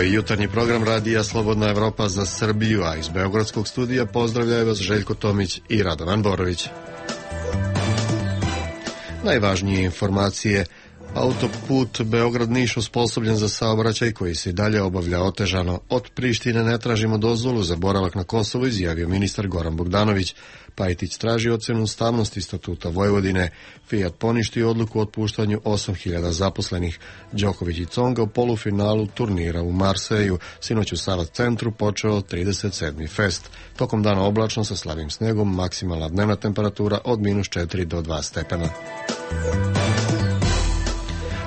je jutarnji program radija Slobodna Evropa za Srbiju, a iz Beogradskog studija pozdravljaju vas Željko Tomić i Radovan Borović. Najvažnije informacije. Autoput Beograd-Niš osposobljen za saobraćaj koji se i dalje obavlja otežano. Od Prištine ne tražimo dozvolu za boravak na Kosovu, izjavio ministar Goran Bogdanović. Pajtić traži ocenu ustavnosti Statuta Vojvodine. Fiat poništio odluku o otpuštanju 8.000 zaposlenih. Đoković i Tsonga u polufinalu turnira u Marseju. Sinoć u Sava centru počeo 37. fest. Tokom dana oblačno sa slabim snegom, maksimalna dnevna temperatura od -4 do 2 stepena.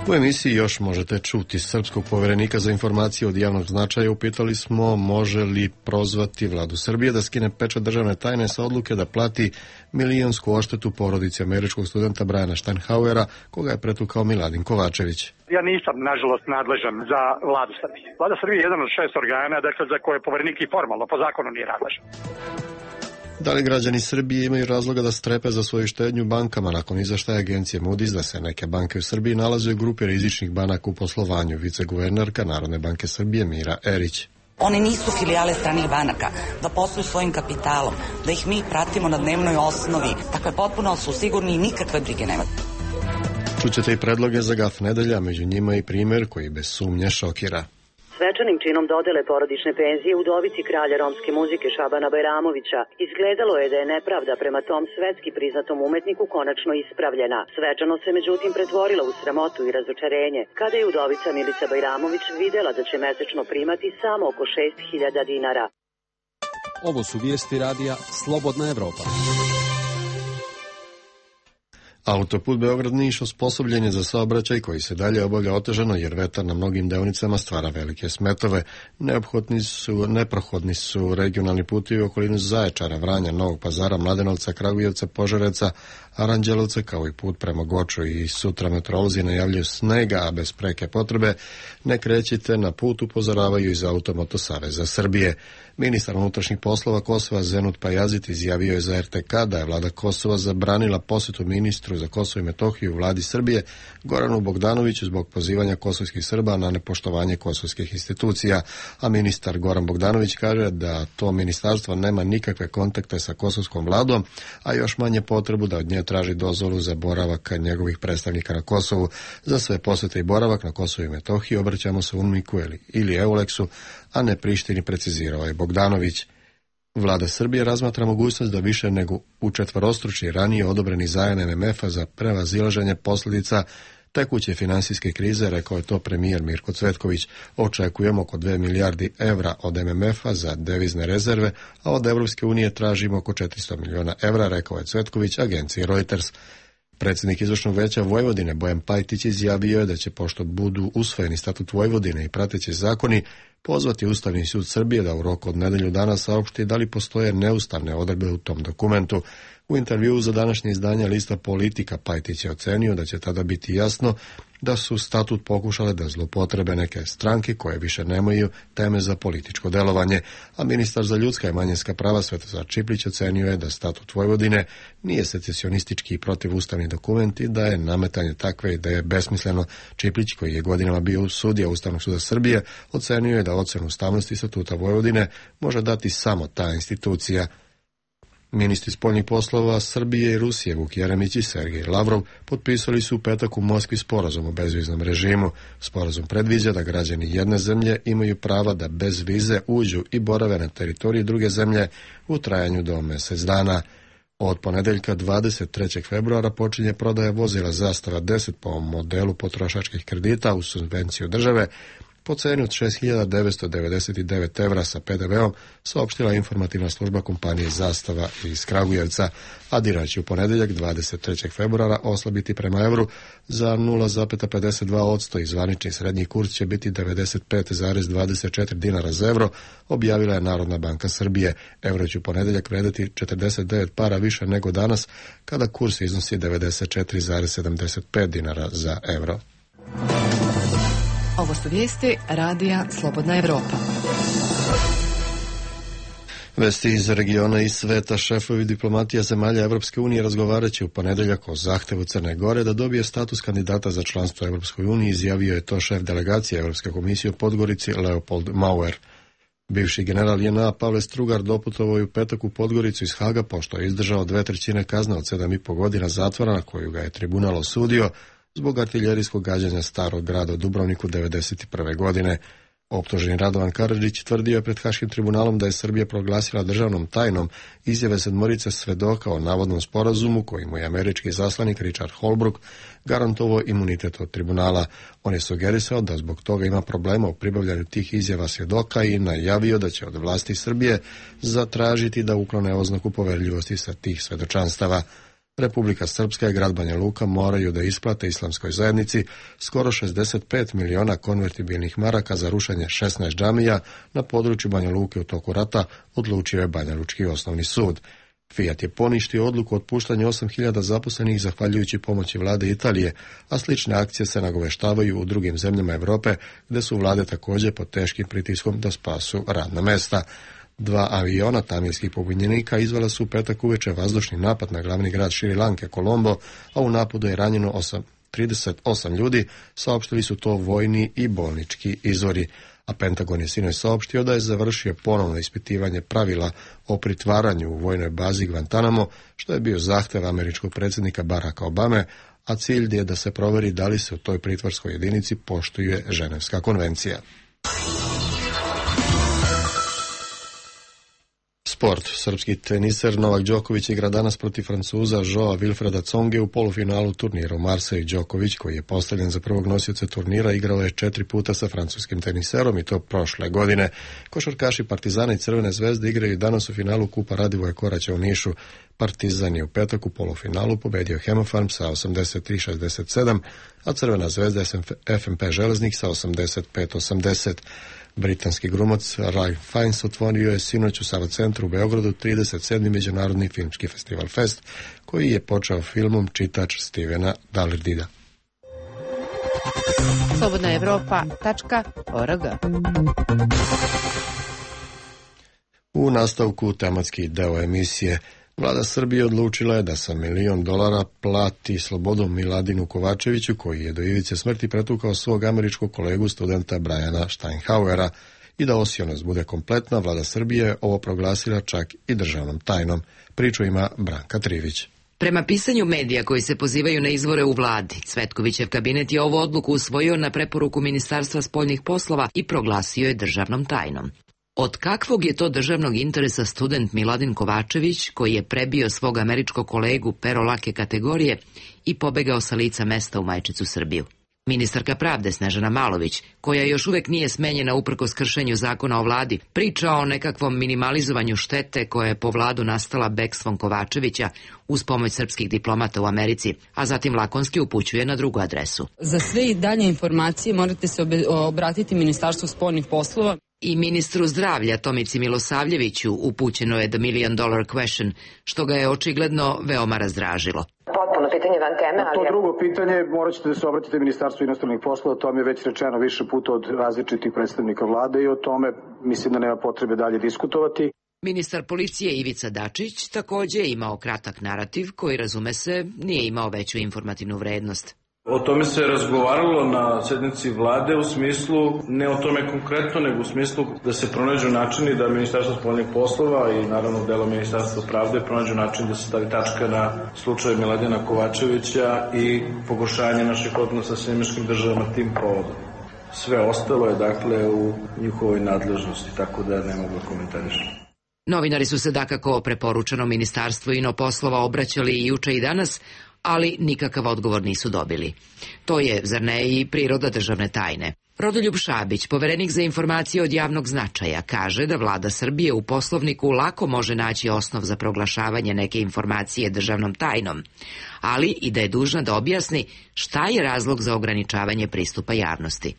U emisiji još možete čuti srpskog poverenika za informacije od javnog značaja. Upitali smo može li prozvati vladu Srbije da skine pečat državne tajne sa odluke da plati milionsku odštetu porodici američkog studenta Briana Steinhauera, koga je pretukao Miladin Kovačević. Ja nisam, nažalost, nadležan za vladu Srbije. Vlada Srbije je jedan od 6 organa, dakle, za koje poverenik i formalno, po zakonu nije nadležan. Da li građani Srbije imaju razloga da strepe za svoju štednju bankama nakon izveštaja agencije Moody's da se neke banke u Srbiji nalaze u grupi rizičnih banaka u poslovanju? Viceguvernerka Narodne banke Srbije Mira Erić. Oni nisu filijale stranih banaka, da posluju svojim kapitalom, da ih mi pratimo na dnevnoj osnovi. Dakle, potpuno su sigurni i nikakve brige nema. Čućete i predloge za gaf nedelja, među njima i primjer koji bez sumnje šokira. Svečanim činom dodele porodične penzije udovici kralja romske muzike Šabana Bajramovića izgledalo je da je nepravda prema tom svetski priznatom umetniku konačno ispravljena. Svečano se međutim pretvorila u sramotu i razočarenje kada je udovica Milica Bajramović videla da će mesečno primati samo oko 6.000 dinara. Ovo su vijesti radija Slobodna Evropa. Autoput Beograd-Niš osposobljen je za saobraćaj koji se dalje obavlja otežano jer vetar na mnogim deonicama stvara velike smetove. Neprohodni su regionalni putevi u okolinu Zaječara, Vranja, Novog Pazara, Mladenovca, Kragujevca, Požarevca, Aranđelovca, kao i put prema Goču. I sutra meteorolozi najavljuju snega, a bez preke potrebe ne krećite na put, upozoravaju iz Automoto Saveza Srbije. Ministar unutrašnjih poslova Kosova Zenut Pajazit izjavio je za RTK da je vlada Kosova zabranila posjetu ministru za Kosovo i Metohiju u vladi Srbije Goranu Bogdanoviću zbog pozivanja kosovskih Srba na nepoštovanje kosovskih institucija, a ministar Goran Bogdanović kaže da to ministarstvo nema nikakve kontakte sa kosovskom vladom, a još manje potrebu da od nje traži dozvolu za boravak njegovih predstavnika na Kosovu. Za sve posjete i boravak na Kosovu i Metohiji obraćamo se UNMIK-u ili EULEX-u, a ne Prištini, precizirao je Bogdanović. Vlada Srbije razmatra mogućnost da više nego učetvorostruči ranije odobreni zajam MMF-a za prevazilaženje posljedica tekuće finansijske krize, rekao je to premijer Mirko Cvetković. Očekujemo oko 2 milijardi evra od MMF-a za devizne rezerve, a od Evropske unije tražimo oko 400 miliona evra, rekao je Cvetković agenciji Reuters. Predsjednik izvršnog veća Vojvodine Bojan Pajtić izjavio je da će, pošto budu usvojeni statut Vojvodine i prateći zakoni, pozvati Ustavni sud Srbije da u roku od nedelju dana saopšti da li postoje neustavne odredbe u tom dokumentu. U intervjuu za današnje izdanje lista Politika Pajtić je ocenio da će tada biti jasno da su statut pokušale da zloupotrebe neke stranke koje više nemaju teme za političko delovanje, a ministar za ljudska i manjinska prava Svetozar Čiplić ocenio je da statut Vojvodine nije secesionistički i protivustavni dokument i da je nametanje takve ideje besmisleno. Čiplić, koji je godinama bio sudija Ustavnog suda Srbije, ocenio je da ocenu ustavnosti statuta Vojvodine može dati samo ta institucija. Ministri spoljnih poslova Srbije i Rusije Vuk Jeremić i Sergej Lavrov potpisali su u petak u Moskvi sporazum o bezviznom režimu. Sporazum predviđa da građani jedne zemlje imaju prava da bez vize uđu i borave na teritoriji druge zemlje u trajanju do mjesec dana. Od ponedeljka 23. februara počinje prodaja vozila Zastava 10 po modelu potrošačkih kredita u subvenciju države po ceni od 6.999 evra sa PDV-om, saopštila informativna služba kompanije Zastava iz Kragujevca, a dinar će u ponedeljak 23. februara oslabiti prema evru za 0,52% i zvanični srednji kurs će biti 95,24 dinara za evro, objavila je Narodna banka Srbije. Evro će u ponedeljak vrediti 49 para više nego danas, kada kurs iznosi 94,75 dinara za evro. Ovo su vijesti radija Slobodna Evropa. Vesti iz regiona i sveta. Šefovi diplomatija zemalja Evropske unije razgovarat će u ponedeljak o zahtevu Crne Gore da dobije status kandidata za članstvo u Evropskoj uniji, izjavio je to šef delegacije Evropske komisije u Podgorici Leopold Mauer. Bivši general JNA Pavle Strugar doputovao je u petak u Podgoricu iz Haga pošto je izdržao 2/3 kazne od 7,5 godina zatvora na koju ga je tribunal osudio zbog artiljerijskog gađanja starog grada u Dubrovniku 1991. godine. Optuženi Radovan Karadžić tvrdio je pred Haškim tribunalom da je Srbija proglasila državnom tajnom izjave 7 svedoka o navodnom sporazumu kojim je američki zaslanik Richard Holbrooke garantovao imunitet od tribunala. On je sugerisao da zbog toga ima problema u pribavljanju tih izjava svjedoka i najavio da će od vlasti Srbije zatražiti da uklone oznaku poverljivosti sa tih svedočanstava. Republika Srpska i grad Banja Luka moraju da isplate islamskoj zajednici skoro 65 miliona konvertibilnih maraka za rušenje 16 džamija na području Banja Luke u toku rata, odlučio je Banjalučki osnovni sud. Fiat je poništio odluku o otpuštanju 8.000 zaposlenih zahvaljujući pomoći vlade Italije, a slične akcije se nagoveštavaju u drugim zemljama Europe, gde su vlade također pod teškim pritiskom da spasu radna mesta. 2 aviona tamilskih pobunjenika izvela su u petak uveče vazdušni napad na glavni grad Šri Lanke, Kolombo, a u napadu je ranjeno 38 ljudi, saopštili su to vojni i bolnički izvori. A Pentagon je sinoć saopštio da je završio ponovno ispitivanje pravila o pritvaranju u vojnoj bazi Guantanamo, što je bio zahtev američkog predsjednika Baracka Obame, a cilj je da se proveri da li se u toj pritvorskoj jedinici poštuje Ženevska konvencija. Sport. Srpski teniser Novak Đoković igra danas protiv Francuza Joa Wilfreda Tsonge u polufinalu turnira u Marseille. Đoković, koji je postavljen za prvog nosioca turnira, igrao je 4 puta sa francuskim teniserom i to prošle godine. Košarkaši Partizana i Crvene zvezde igraju danas u finalu Kupa Radivoja Koraća u Nišu. Partizan je u petak u polufinalu pobedio Hemofarm sa 83-67, a Crvena zvezda FNP Železnik sa 85-80. Britanski glumac Ralph Fiennes otvorio je sinoć u Sava centru u Beogradu 37. međunarodni filmski festival Fest, koji je počeo filmom Čitač Stevena Dallardida. slobodnaevropa.org. U nastavku tematski deo emisije. Vlada Srbije odlučila je da sa $1 milion plati slobodom Miladinu Kovačeviću, koji je do ivice smrti pretukao svog američkog kolegu studenta Briana Steinhauera, i da osionost bude kompletna. Vlada Srbije je ovo proglasila čak i državnom tajnom. Priču ima Branka Trivić. Prema pisanju medija koji se pozivaju na izvore u vladi, Cvetkovićev kabinet je ovu odluku usvojio na preporuku Ministarstva spoljnih poslova i proglasio je državnom tajnom. Od kakvog je to državnog interesa student Miladin Kovačević, koji je prebio svog američkog kolegu pero lake kategorije i pobegao sa lica mesta u majčicu Srbiju? Ministarka pravde Snežana Malović, koja još uvek nije smenjena uprkos kršenju zakona o vladi, priča o nekakvom minimalizovanju štete koja je po vladu nastala bekstvom Kovačevića uz pomoć srpskih diplomata u Americi, a zatim lakonski upućuje na drugu adresu. Za sve i dalje informacije morate se obratiti Ministarstvu spoljnih poslova. I ministru zdravlja Tomici Milosavljeviću upućeno je The $1 million question, što ga je očigledno veoma razdražilo. Potpuno pitanje van teme, ali... To drugo pitanje morat ćete da se obratite Ministarstvu inostranih poslova, o tome je već rečeno više puta od različitih predstavnika vlade i o tome mislim da nema potrebe dalje diskutovati. Ministar policije Ivica Dačić također je imao kratak narativ koji, razume se, nije imao veću informativnu vrednost. O tome se razgovaralo na sednici vlade u smislu, ne o tome konkretno, nego u smislu da se pronađu načini da Ministarstvo spoljnih poslova i naravno delo Ministarstva pravde pronađu način da se stavi tačka na slučaj Miladina Kovačevića i pogoršanje naših odnosa sa američkim državama tim povodom. Sve ostalo je dakle u njihovoj nadležnosti, tako da ne mogu komentarišati. Novinari su se dakako preporučeno Ministarstvu inoposlova obraćali i juče i danas, ali nikakav odgovor nisu dobili. To je, zar ne, i priroda državne tajne. Rodoljub Šabić, poverenik za informacije od javnog značaja, kaže da vlada Srbije u poslovniku lako može naći osnov za proglašavanje neke informacije državnom tajnom, ali i da je dužna da objasni šta je razlog za ograničavanje pristupa javnosti.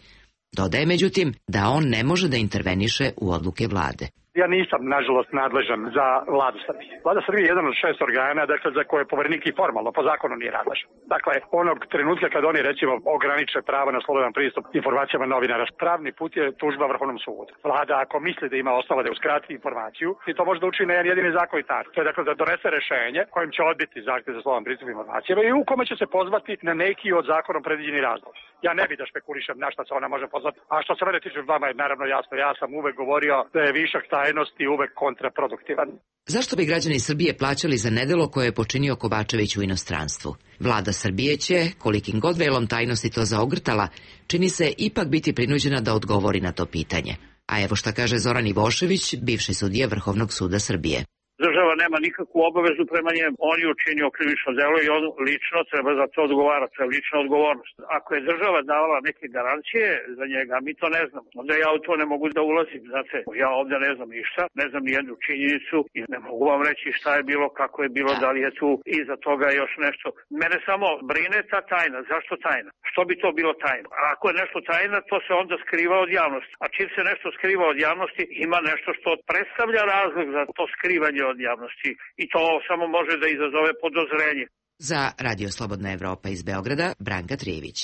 Dodaje, međutim, da on ne može da interveniše u odluke vlade. Ja nisam, nažalost, nadležan za Vladu Srbije. Vlada Srbije je jedan od 6 organa, dakle, za koje poverenik i formalno, po zakonu nije nadležan. Dakle, onog trenutka kad oni, recimo, ograniče pravo na slobodan pristup informacijama novinara, pravni put je tužba Vrhovnom sudu. Vlada, ako misli da ima osnova da uskrati informaciju, i to može da učini na jedan jedini zakonit. To je, dakle, da donese rešenje kojim će odbiti zahtev za slobodan pristup informacijama i u kome će se pozvati na neki od zakonom predviđeni razlog. Ja ne bih da špekulišem na šta se ona može pozvati, a što se mene tiče, vama je naravno jasno, ja sam uvek govorio da je višak tajnosti uvek kontraproduktivan. Zašto bi građani Srbije plaćali za nedelo koje je počinio Kovačević u inostranstvu? Vlada Srbije će, kolikim god velom tajnosti to zaogrtala, čini se ipak biti prinuđena da odgovori na to pitanje. A evo šta kaže Zoran Ivošević, bivši sudija Vrhovnog suda Srbije. Država nema nikakvu obavezu prema njemu. On je učinio krivično delo i on lično treba za to odgovarati. To je lična odgovornost. Ako je država davala neke garancije za njega, mi to ne znamo. Onda ja u to ne mogu da ulazim. Znate, ja ovdje ne znam ništa, ne znam ni jednu činjenicu i ne mogu vam reći šta je bilo, kako je bilo, da li je tu iza toga još nešto. Mene samo brine ta tajna. Zašto tajna? Što bi to bilo tajna? A ako je nešto tajna, to se onda skriva od javnosti. A čim se nešto skriva od javnosti, ima nešto što predstavlja razlog za to skrivanje od javnosti i to samo može da izazove podozrenje. Za Radio Slobodna Evropa iz Beograda, Branka Trijević.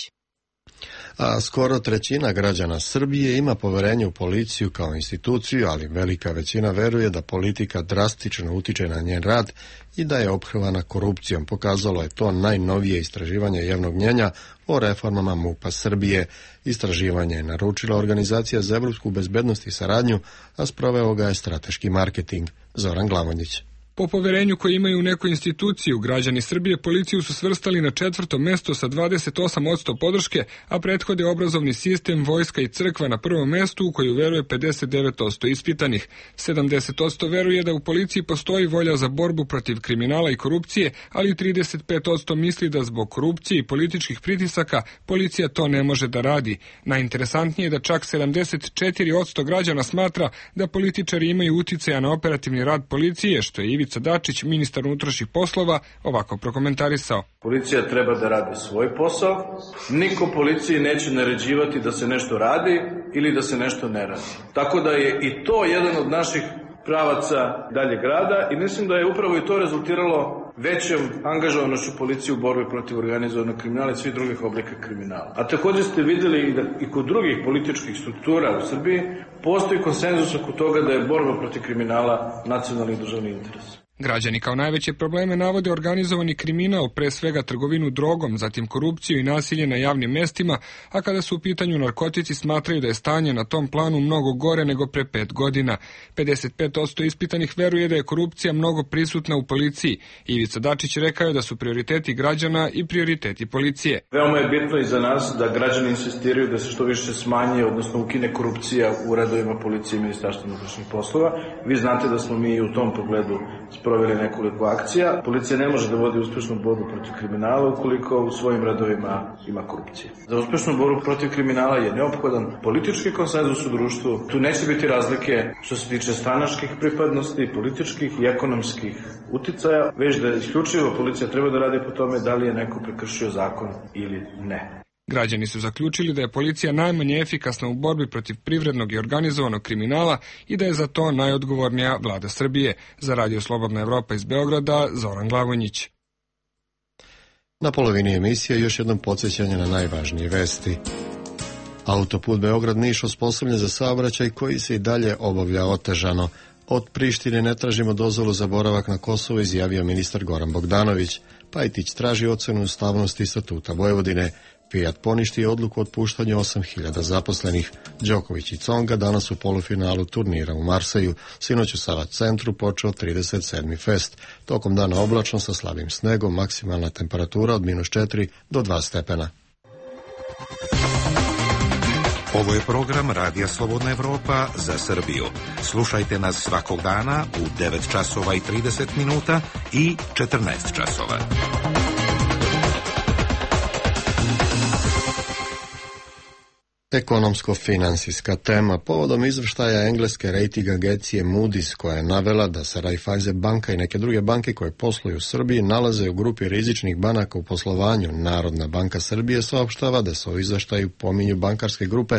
A skoro trećina građana Srbije ima poverenje u policiju kao instituciju, ali velika većina veruje da politika drastično utiče na njen rad i da je ophrvana korupcijom. Pokazalo je to najnovije istraživanje javnog mnjenja o reformama MUP-a Srbije. Istraživanje je naručila Organizacija za evropsku bezbednost i saradnju, a sproveo ga je strateški marketing. Zoran Glavonjić. Po poverenju koje imaju u neku instituciju, građani Srbije policiju su svrstali na 4. mesto sa 28% podrške, a prethode obrazovni sistem, vojska i crkva na prvom mestu u koju veruje 59% ispitanih. 70% veruje da u policiji postoji volja za borbu protiv kriminala i korupcije, ali 35% misli da zbog korupcije i političkih pritisaka policija to ne može da radi. Najinteresantnije je da čak 74% građana smatra da političari imaju uticaja na operativni rad policije, što je Ivica Dačić, ministar unutrašnjih poslova, ovako prokomentarisao. Policija treba da radi svoj posao. Niko policiji neće naređivati da se nešto radi ili da se nešto ne radi. Tako da je i to jedan od naših pravaca daljeg rada i mislim da je upravo i to rezultiralo većom angažovanošću policije u borbi protiv organizovanog kriminala i svih drugih oblika kriminala. A također ste vidjeli da i kod drugih političkih struktura u Srbiji postoji konsenzus oko toga da je borba protiv kriminala nacionalni i državni interes. Građani kao najveće probleme navode organizovani kriminal, pre svega trgovinu drogom, zatim korupciju i nasilje na javnim mestima, a kada su u pitanju narkotici smatraju da je stanje na tom planu mnogo gore nego pre 5 godina. 55% ispitanih veruje da je korupcija mnogo prisutna u policiji. Ivica Dačić rekao je da su prioriteti građana i prioriteti policije. Veoma je bitno i za nas da građani insistiraju da se što više smanji, odnosno ukine korupcija u redovima policije i Ministarstva unutrašnjih poslova. Vi znate da smo mi u tom pogledu proveli nekoliko akcija. Policija ne može da vodi uspešnu borbu protiv kriminala ukoliko u svojim redovima ima korupcije. Za uspešnu borbu protiv kriminala je neophodan politički konsenzus u društvu. Tu neće biti razlike što se tiče stranačkih pripadnosti, političkih i ekonomskih uticaja, već da isključivo policija treba da radi po tome da li je neko prekršio zakon ili ne. Građani su zaključili da je policija najmanje efikasna u borbi protiv privrednog i organizovanog kriminala i da je za to najodgovornija Vlada Srbije. Za Radio Slobodna Evropa iz Beograda, Zoran Glavonjić. Na polovini emisije još jednom podsjećanje na najvažnije vesti. Autoput Beograd-Niš osposobljen za saobraćaj koji se i dalje obavlja otežano. Od Prištine ne tražimo dozvolu za boravak na Kosovo, izjavio ministar Goran Bogdanović. Pajtić traži ocenu ustavnosti statuta Vojvodine. Fiat poništi odluku o otpuštanju 8.000 zaposlenih. Đoković i Tsonga danas u polufinalu turnira u Marseju. Sinoć u Sava centru počeo 37. fest. Tokom dana oblačno sa slabim snegom, maksimalna temperatura od -4 do 2 stepena. Ovo je program Radija Slobodna Evropa za Srbiju. Slušajte nas svakog dana u 9 časova i 30 minuta i 14 časova. Ekonomsko-finansijska tema povodom izvještaja engleske rating agencije Moody's, koja je navela da se Raiffeisen banka i neke druge banke koje posluju u Srbiji nalaze u grupi rizičnih banaka u poslovanju. Narodna banka Srbije saopštava da se u izvještaju pominju bankarske grupe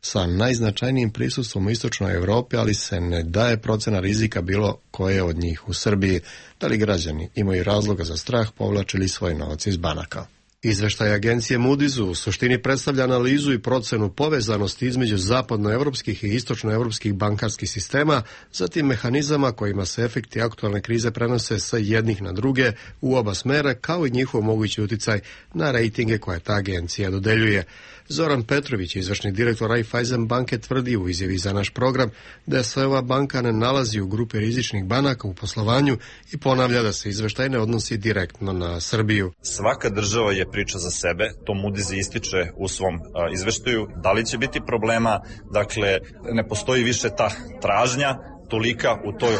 sa najznačajnijim prisustvom u istočnoj Europi, ali se ne daje procena rizika bilo koje od njih u Srbiji. Da li građani imaju razloga za strah, povlačili svoj novac iz banaka? Izveštaj agencije Moody's u suštini predstavlja analizu i procenu povezanosti između zapadnoevropskih i istočnoevropskih bankarskih sistema, zatim mehanizama kojima se efekti aktualne krize prenose sa jednih na druge u oba smera, kao i njihov mogući uticaj na rejtinge koje ta agencija dodeljuje. Zoran Petrović, izvršni direktor Raiffeisen banke, tvrdi u izjavi za naš program da se ova banka ne nalazi u grupi rizičnih banaka u poslovanju i ponavlja da se izveštaj ne odnosi direktno na Srbiju. Svaka država je priča za sebe, to Moody's ističe u svom izveštaju. Da li će biti problema? Dakle, ne postoji više ta tražnja tolika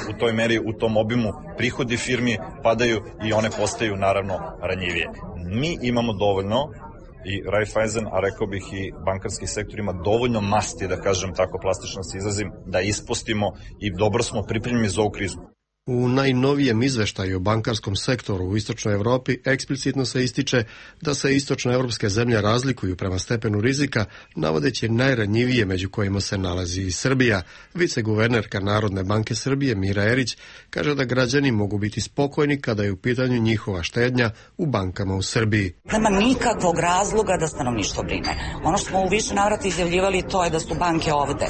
u toj meri, u tom obimu, prihodi firmi padaju i one postaju naravno ranjivije. Mi imamo dovoljno, i Raiffeisen, a rekao bih i bankarski sektor ima dovoljno masti, da kažem tako plastično se izrazim, da ispustimo i dobro smo pripremljeni za ovu krizu. U najnovijem izveštaju o bankarskom sektoru u istočnoj Evropi eksplicitno se ističe da se istočnoevropske zemlje razlikuju prema stepenu rizika, navodeći najranjivije među kojima se nalazi i Srbija. Viceguvernerka Narodne banke Srbije Mira Erić kaže da građani mogu biti spokojni kada je u pitanju njihova štednja u bankama u Srbiji. Nema nikakvog razloga da stanovništvo brine. Ono što smo u više navrata izjavljivali, to je da su banke ovde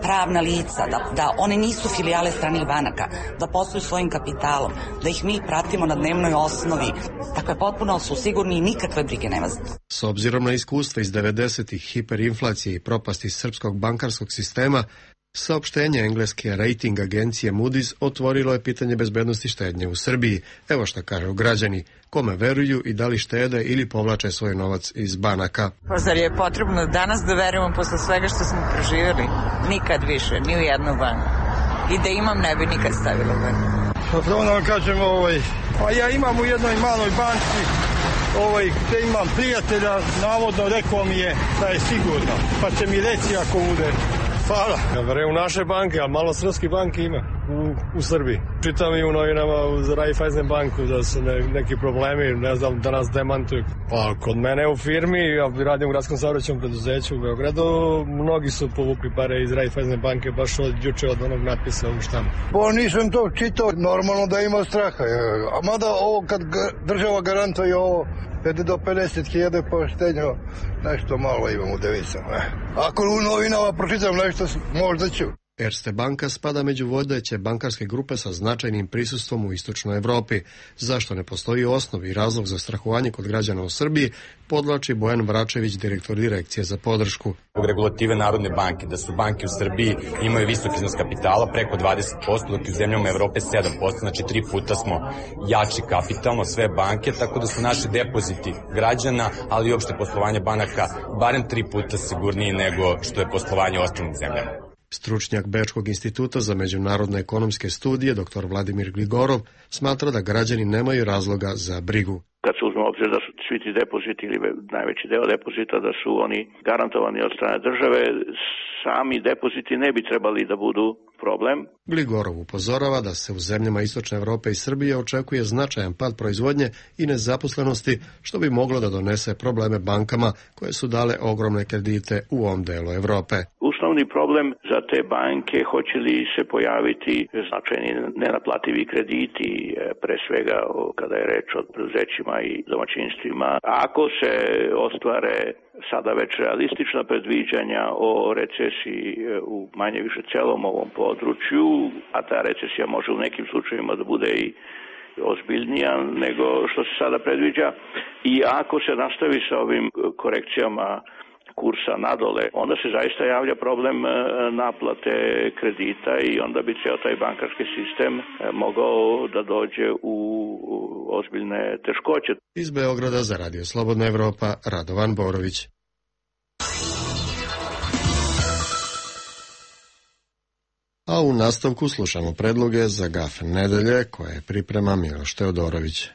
pravna lica, da one nisu filijale stranih banaka, da posluju svojim kapitalom, da ih mi pratimo na dnevnoj osnovi. Dakle, potpuno su sigurni i nikakve brige nema za to. S obzirom na iskustva iz 90-ih, hiperinflacije i propasti srpskog bankarskog sistema, saopštenje engleske rating agencije Moody's otvorilo je pitanje bezbednosti štednje u Srbiji. Evo šta kažu građani, kome veruju i da li štede ili povlače svoj novac iz banaka. Pa zar je potrebno danas da verujemo posle svega što smo proživjeli? Nikad više, ni u jednu banku. I da imam, ne bi nikad stavila u banku. Pa prvo da vam kažem, pa ja imam u jednoj maloj banci, gde imam prijatelja, navodno rekao mi je da je sigurno, pa će mi reći ako bude. Hvala. Ja verujem u naše banke, a malo srpskih banki ima u Srbiji. Čitam i u novinama uz Raiffeisen banku da su neki problemi, ne znam, da nas demantuju. Pa kod mene u firmi, ja radim u gradskom saobraćajnom preduzeću u Beogradu, mnogi su povukli pare iz Raiffeisen banke baš od juče od onog natpisa u štampu. Pa nisam to čitao, normalno da ima straha. A mada ovo kad država garantuje ovo, do 50.000 poštenja, nešto malo imam u devizama. Ako u novinama pročitam nešto, možda ću. Erste banka spada među vodeće bankarske grupe sa značajnim prisustvom u istočnoj Evropi. Zašto ne postoji osnov i razlog za strahovanje kod građana u Srbiji, podvlači Bojan Vračević, direktor direkcije za podršku. Zbog regulative Narodne banke, da su banke u Srbiji imaju visok iznos kapitala, preko 20%, dok u zemljama Evrope 7%, znači 3 puta smo jači kapitalno, sve banke, tako da su naši depoziti građana, ali i opšte poslovanje banaka barem 3 puta sigurniji nego što je poslovanje u ostalim zemljama. Stručnjak Bečkog instituta za međunarodne ekonomske studije, dr. Vladimir Gligorov, smatra da građani nemaju razloga za brigu. Kad se uzme obzir da su svi ti depoziti ili najveći deo depozita da su oni garantovani od strane države, sami depoziti ne bi trebali da budu problem. Gligorov upozorava da se u zemljama Istočne Evrope i Srbije očekuje značajan pad proizvodnje i nezaposlenosti, što bi moglo da donese probleme bankama koje su dale ogromne kredite u ovom delu Evrope. Osnovni problem za te banke hoće li se pojaviti značajni nenaplativi krediti, pre svega kada je reč o preduzećima i domaćinstvima. Ako se ostvare sada već realistična predviđanja o recesiji u manje više celom ovom području, a ta recesija može u nekim slučajevima da bude i ozbiljnija nego što se sada predviđa, i ako se nastavi sa ovim korekcijama kursa nadole, onda se zaista javlja problem naplate kredita i onda bi ceo taj bankarski sistem mogao da dođe u ozbiljne teškoće. Iz Beograda za Radio Slobodna Evropa, Radovan Borović. A u nastavku slušamo predloge za GAF nedelje koje priprema Miloš Teodorović.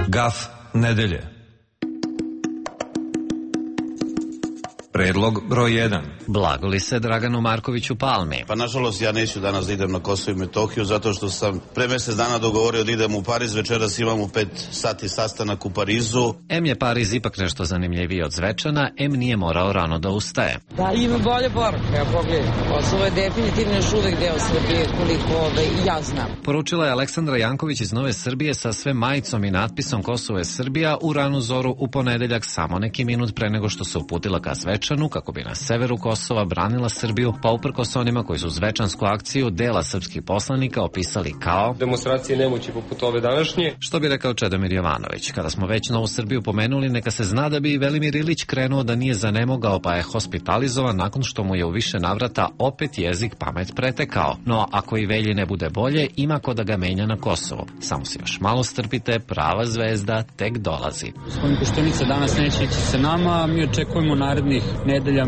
GAF nedelje. Predlog broj 1. Blagoli se Draganu Markoviću Palmi. Pa nažalost ja neću danas da idem na Kosovo i Metohiju zato što sam pre mesec dana dogovorio da idem u Pariz, večeras imam u 5 sati sastanak u Parizu. M je Pariz ipak nešto zanimljiviji od Zvečana, M nije morao rano da ustaje. Da, ima bolje poruke, ja pogledam. Kosovo je definitivno još uvek deo Srbije, koliko ja znam. Poručila je Aleksandra Janković iz Nove Srbije sa sve majicom i natpisom Kosovo je Srbija u ranu zoru u ponedeljak, samo neki minut pre nego što se uputila ka Zvečanu kako bi na severu Kosova branila Srbiju, pa uprkos onima koji su zvečansku akciju dela srpskih poslanika opisali kao demonstracije nemoći poput ove današnje. Što bi rekao Čedomir Jovanović, kada smo već Novu Srbiju pomenuli, neka se zna da bi Velimir Ilić krenuo da nije zanemogao pa je hospitalizovan nakon što mu je u više navrata opet jezik pamet pretekao. No ako i Velji ne bude bolje, ima ko da ga menja na Kosovu. Samo se još malo strpite, prava zvezda tek dolazi. Gospodin Koštunica danas neće ići sa nama, mi očekujemo narednih nedelja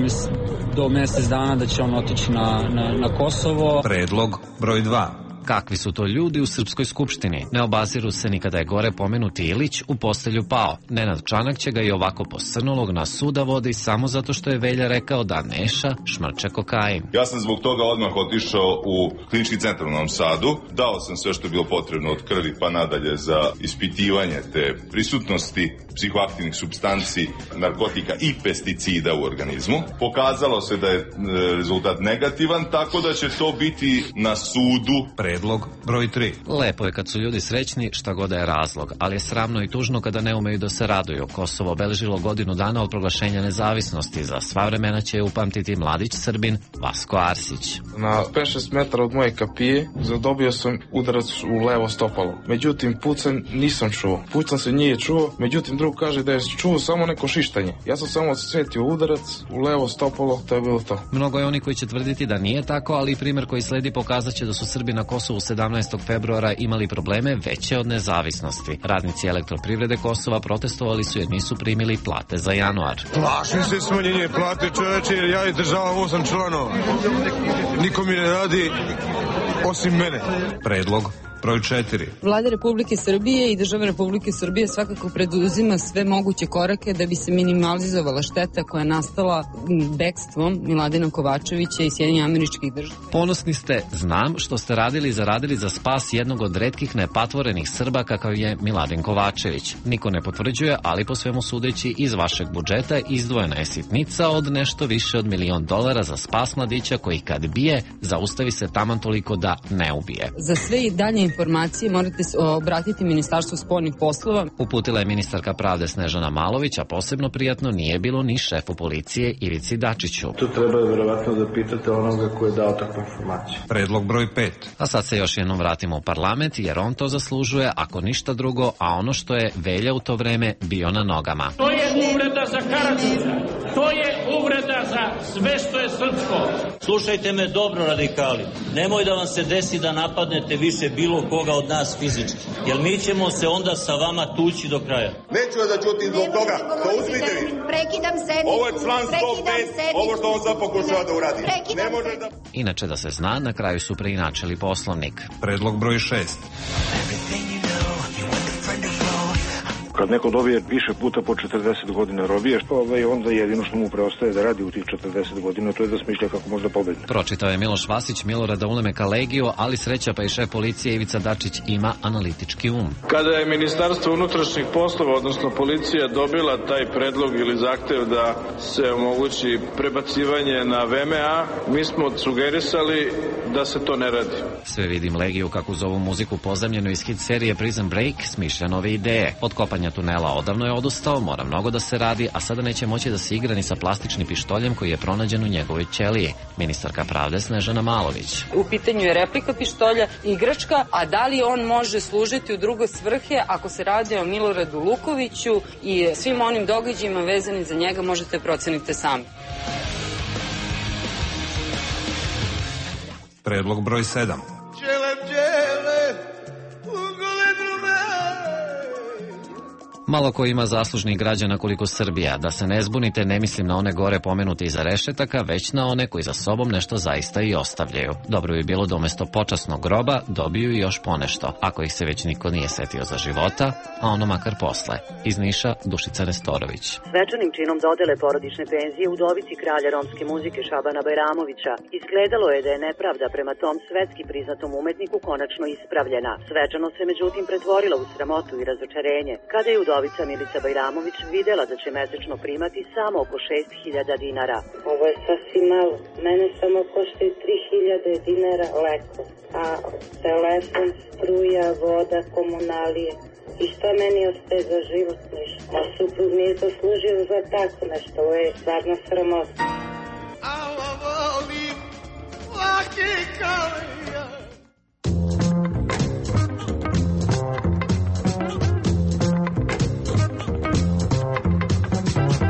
do mesec dana da će on otići na Kosovo. Predlog broj 2. Kakvi su to ljudi u Srpskoj skupštini? Ne obaziru se ni kada je gore pomenuti Ilić u postelju pao. Nenad Čanak će ga i ovako posrnulog na suda vodi samo zato što je Velja rekao da Neša šmrče kokain. Ja sam zbog toga odmah otišao u klinički centar u Novom Sadu. Dao sam sve što je bilo potrebno od krvi pa nadalje za ispitivanje te prisutnosti psihoaktivnih supstanci, narkotika i pesticida u organizmu. Pokazalo se da je rezultat negativan, tako da će to biti na sudu. Predlog broj 3. Lepo je kad su ljudi srećni, šta god da je razlog, ali je sramno i tužno kada ne umeju da se raduju. Kosovo obeležilo godinu dana od proglašenja nezavisnosti. Za sva vremena će upamtiti mladić Srbin Vasko Arsić. Na 5-6 metara od moje kapije zadobio sam udarac u levo stopalo. Međutim, pucanj nisam čuo. Pucanj se nije čuo, međutim drug kaže da je čuo samo neko šištanje. Ja sam samo osjetio udarac u levo stopalo, to je bilo to. Mnogo je oni koji će tvrditi da nije tako, ali primjer koji sledi pokazat će da su Srbi na Kosovu 17. februara imali probleme veće od nezavisnosti. Radnici Elektroprivrede Kosova protestovali su jer nisu primili plate za januar. Plašim se smanjenje plate, čoveče, jer ja izdržavam 8 članova. Niko mi ne radi osim mene. Predlog broj 4. Vlada Republike Srbije i država Republike Srbije svakako preduzima sve moguće korake da bi se minimalizovala šteta koja je nastala bekstvom Miladina Kovačevića i Sjedinjenih Američkih Država. Ponosni ste, znam, što ste radili i zaradili za spas jednog od retkih nepatvorenih Srba kakav je Miladin Kovačević. Niko ne potvrđuje, ali po svemu sudeći iz vašeg budžeta izdvojena je sitnica od nešto više od $1 milion za spas mladića koji kad bije, zaustavi se taman toliko da ne ubije. Za sve i dalje informacije morate se obratiti Ministarstvu spoljnih poslova. Uputila je ministarka pravde Snežana Malović, a posebno prijatno nije bilo ni šefu policije Ivici Dačiću. Tu treba verovatno da pitate onoga ko je dao takvu informaciju. Predlog broj 5. A sad se još jednom vratimo u parlament, jer on to zaslužuje, ako ništa drugo, a ono što je Velja u to vreme bio na nogama. To je uvreda za Karađorđa. To je uvreda za sve što je srpsko. Slušajte me dobro, radikali. Nemoj da vam se desi da napadnete više bilo koga od nas fizički. Jer mi ćemo se onda sa vama tući do kraja. Neću da ćutim zbog toga. To uzmite vi. Prekidam sednicu. Ovo je član 105. Ovo što on sad pokušava da uradi. Ne može da... Inače da se zna, na kraju su preinačili Poslovnik. Predlog broj 6. Kad neko dobije više puta po 40 godina robije, onda jedino što mu preostaje da radi u tih 40 godina, to je da smišlja kako može da pobedne. Pročitao je Miloš Vasić, Milorada Ulemeka Legiju, ali sreća pa i šef policije Ivica Dačić ima analitički um. Kada je Ministarstvo unutrašnjih poslova, odnosno policija, dobila taj predlog ili zahtev da se omogući prebacivanje na VMA, mi smo sugerisali da se to ne radi. Sve vidim Legiju kako zovu muziku pozemljenu iz hit serije Prison Break, smišlja nove ideje. Od kopanja tunela odavno je odustao, mora mnogo da se radi, a sada neće moći da se igra ni sa plastičnim pištoljem koji je pronađen u njegovoj ćeliji. Ministarka pravde Snežana Malović. U pitanju je replika pištolja, igračka, a da li on može služiti u druge svrhe ako se radi o Miloradu Lukoviću i svim onim događajima vezanim za njega možete proceniti sami. Predlog broj 7. Malo ko ima zaslužnih građana koliko Srbija. Da se ne zbunite, ne mislim na one gore pomenute iza rešetaka, već na one koji za sobom nešto zaista i ostavljaju. Dobro bi bilo da umesto počasnog groba dobiju i još ponešto, ako ih se već niko nije setio za života, a ono makar posle. Iz Niša, Dušica Nestorović. Svečanim činom dodele porodične penzije udovici kralja romske muzike Šabana Bajramovića izgledalo je da je nepravda prema tom svetski priznatom umetniku konačno ispravljena. Svečano se međutim pretvorila u sramotu i razočarenje, kada je udovica Milica Bajramović videla da će mesečno primati samo oko 6.000 dinara. Ovo je sasvim malo. Mene samo koštaju 3.000 dinara leko, a telefon, struja, voda, komunalije. I šta meni ostaje za život? Ništa. A suprug nije to služio za tako nešto. Ovo je stvarno sramota.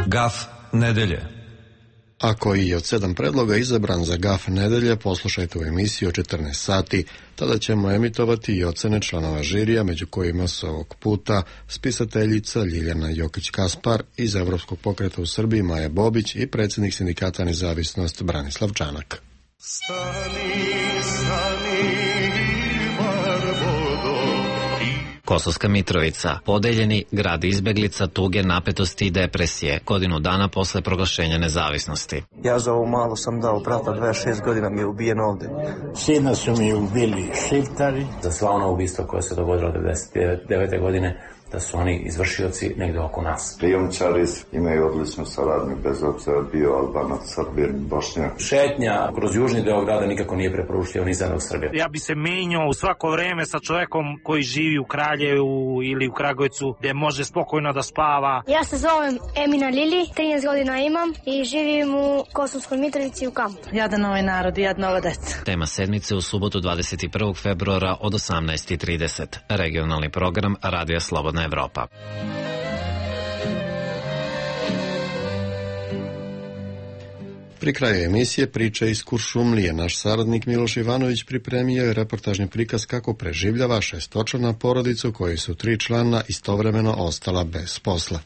Gaf nedelje. Ako i od 7 predloga izabran za Gaf nedelje, poslušajte u emisiji o 14 sati. Tada ćemo emitovati i ocene članova žirija, među kojima su ovog puta spisateljica Ljiljana Jokić-Kaspar iz Evropskog pokreta u Srbiji Maja Bobić i predsjednik sindikata Nezavisnost Branislav Čanak. Kosovska Mitrovica, podeljeni grad izbeglica, tuge, napetosti i depresije, godinu dana posle proglašenja nezavisnosti. Ja za ovo malo sam dao brata, 26 godina mi je ubijen ovde. Sina su mi ubili šiptari. Za sva ona ubistva koja se dogodila 1999. godine, da su oni izvršioci negde oko nas. Prijomčari imaju odličnu saradnju, bez obzira bio Albanac, Srbin, Bošnjak. Šetnja kroz južni deo grada nikako nije preporučljivo ni za nas Srbije. Ja bi se menjao u svako vreme sa čovekom koji živi u Kraljevu ili u Kragujevcu, gde može spokojno da spava. Ja se zovem Emina Lili, 13 godina imam i živim u Kosovskoj Mitrovici u kampu. Jadan ovaj narod i jadna ova deca. Tema sedmice u subotu 21. februara od 18:30. Regionalni program Radija Slobodna Evropa. Pri kraju emisije priče iz Kuršumlije. Naš saradnik Miloš Ivanović pripremio je reportažni prikaz kako preživljava šestočlana porodicu koji su 3 člana istovremeno ostala bez posla.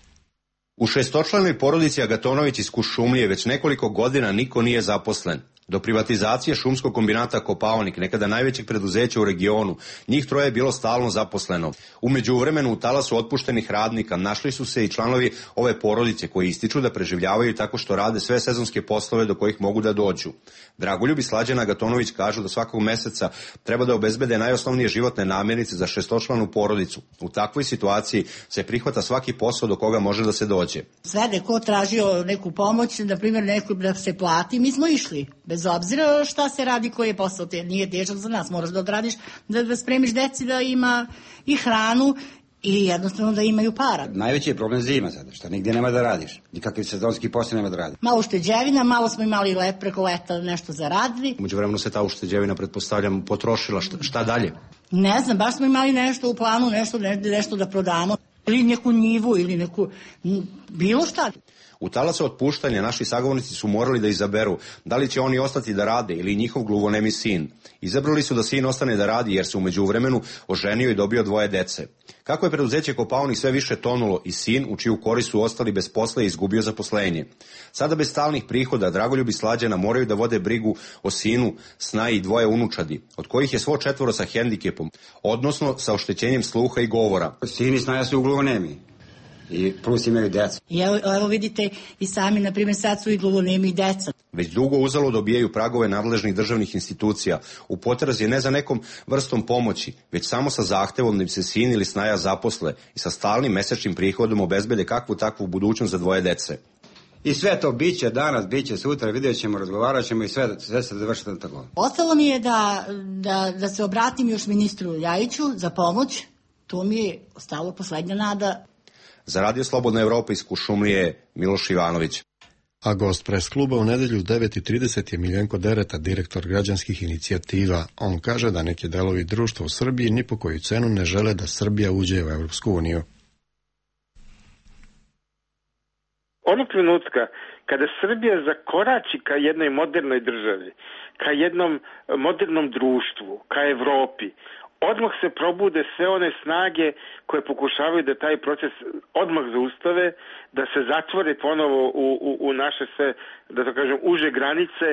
U šestočlanoj porodici Agatonović iz Kuršumlije već nekoliko godina niko nije zaposlen. Do privatizacije šumskog kombinata Kopaonik, nekada najvećeg preduzeća u regionu, njih 3 je bilo stalno zaposleno. U međuvremenu u talasu otpuštenih radnika našli su se i članovi ove porodice koji ističu da preživljavaju tako što rade sve sezonske poslove do kojih mogu da dođu. Dragoljub i Slađana Agatonović kažu da svakog meseca treba da obezbede najosnovnije životne namirnice za šestočlanu porodicu. U takvoj situaciji se prihvata svaki posao do koga može da se dođe. Sve neko tražio neku pomoć, na primjer neko da se plati, mi smo išli. Bez obzira šta se radi, koji je posao, nije težak za nas, moraš da odradiš, da spremiš deci da ima i hranu i jednostavno da imaju para. Najveći je problem zima sada, šta nigdje nema da radiš, nikakvi sezonski posao nema da radiš. Malo ušteđevina, malo smo imali preko leta nešto zaradili. Umeđu vremenu se ta ušteđevina, pretpostavljam, potrošila, šta dalje? Ne znam, baš smo imali nešto u planu, nešto da prodamo, ili neku njivu, ili neku, bilo šta. U talasu otpuštanja naši sagovornici su morali da izaberu da li će oni ostati da rade ili njihov gluvonemi sin. Izabrali su da sin ostane da radi jer se u međuvremenu oženio i dobio 2 dece. Kako je preduzeće Kopaonik sve više tonulo i sin, u čiju korist su ostali bez posla i izgubio zaposlenje. Sada bez stalnih prihoda Dragoljub i Slađana moraju da vode brigu o sinu, snaji i 2 unučadi, od kojih je svo 4 sa hendikepom, odnosno sa oštećenjem sluha i govora. Sin i snaja su gluvonemi. I plus imaju deca. Evo vidite i sami, na primjer, sad su i gluvonemi deca. Već dugo uzalud dobijaju pragove nadležnih državnih institucija u potrazi ne za nekom vrstom pomoći, već samo sa zahtevom da im se sin ili snaja zaposle i sa stalnim mesečnim prihodom obezbede kakvu takvu budućnost za 2 dece. I sve to biće danas, biće sutra, vidjet ćemo, razgovarat ćemo i sve se završiti na tako. Ostalo mi je da se obratim još ministru Ljajiću za pomoć. To mi je ostalo poslednja nada. Za Radio Slobodna Evropa iz Kuršumlije Miloš Ivanović. A gost pres kluba u nedelju 9:30 je Miljenko Dereta, direktor građanskih inicijativa. On kaže da neki delovi društva u Srbiji ni po koju cenu ne žele da Srbija uđe u Evropsku uniju. Onog trenutka kada Srbija zakorači ka jednoj modernoj državi, ka jednom modernom društvu, ka Evropi, odmah se probude sve one snage koje pokušavaju da taj proces odmah zaustave, da se zatvore ponovo u naše sve, da to kažem, uže granice,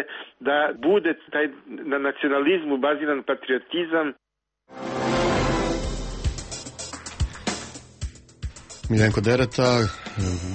da bude taj na nacionalizmu baziran patriotizam. Miljenko Dereta,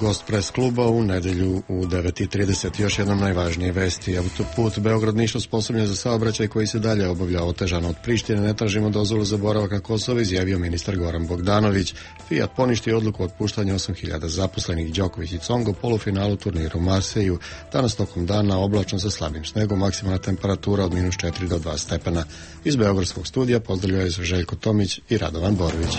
gost pres kluba u nedelju u 9:30. Još jednom najvažnije vesti. Autoput Beograd-Niš osposobljen za saobraćaj koji se dalje obavlja otežano od Prištine. Ne tražimo dozvolu za boravak na Kosovo, izjavio ministar Goran Bogdanović. Fiat poništio odluku o otpuštanju 8.000 zaposlenih. Đoković i Congo polufinalu turniru u Marseju. Danas tokom dana oblačno sa slabim snegom, maksimalna temperatura od -4 do 2 stepena. Iz Beogradskog studija pozdravljaju se Željko Tomić i Radovan Borović.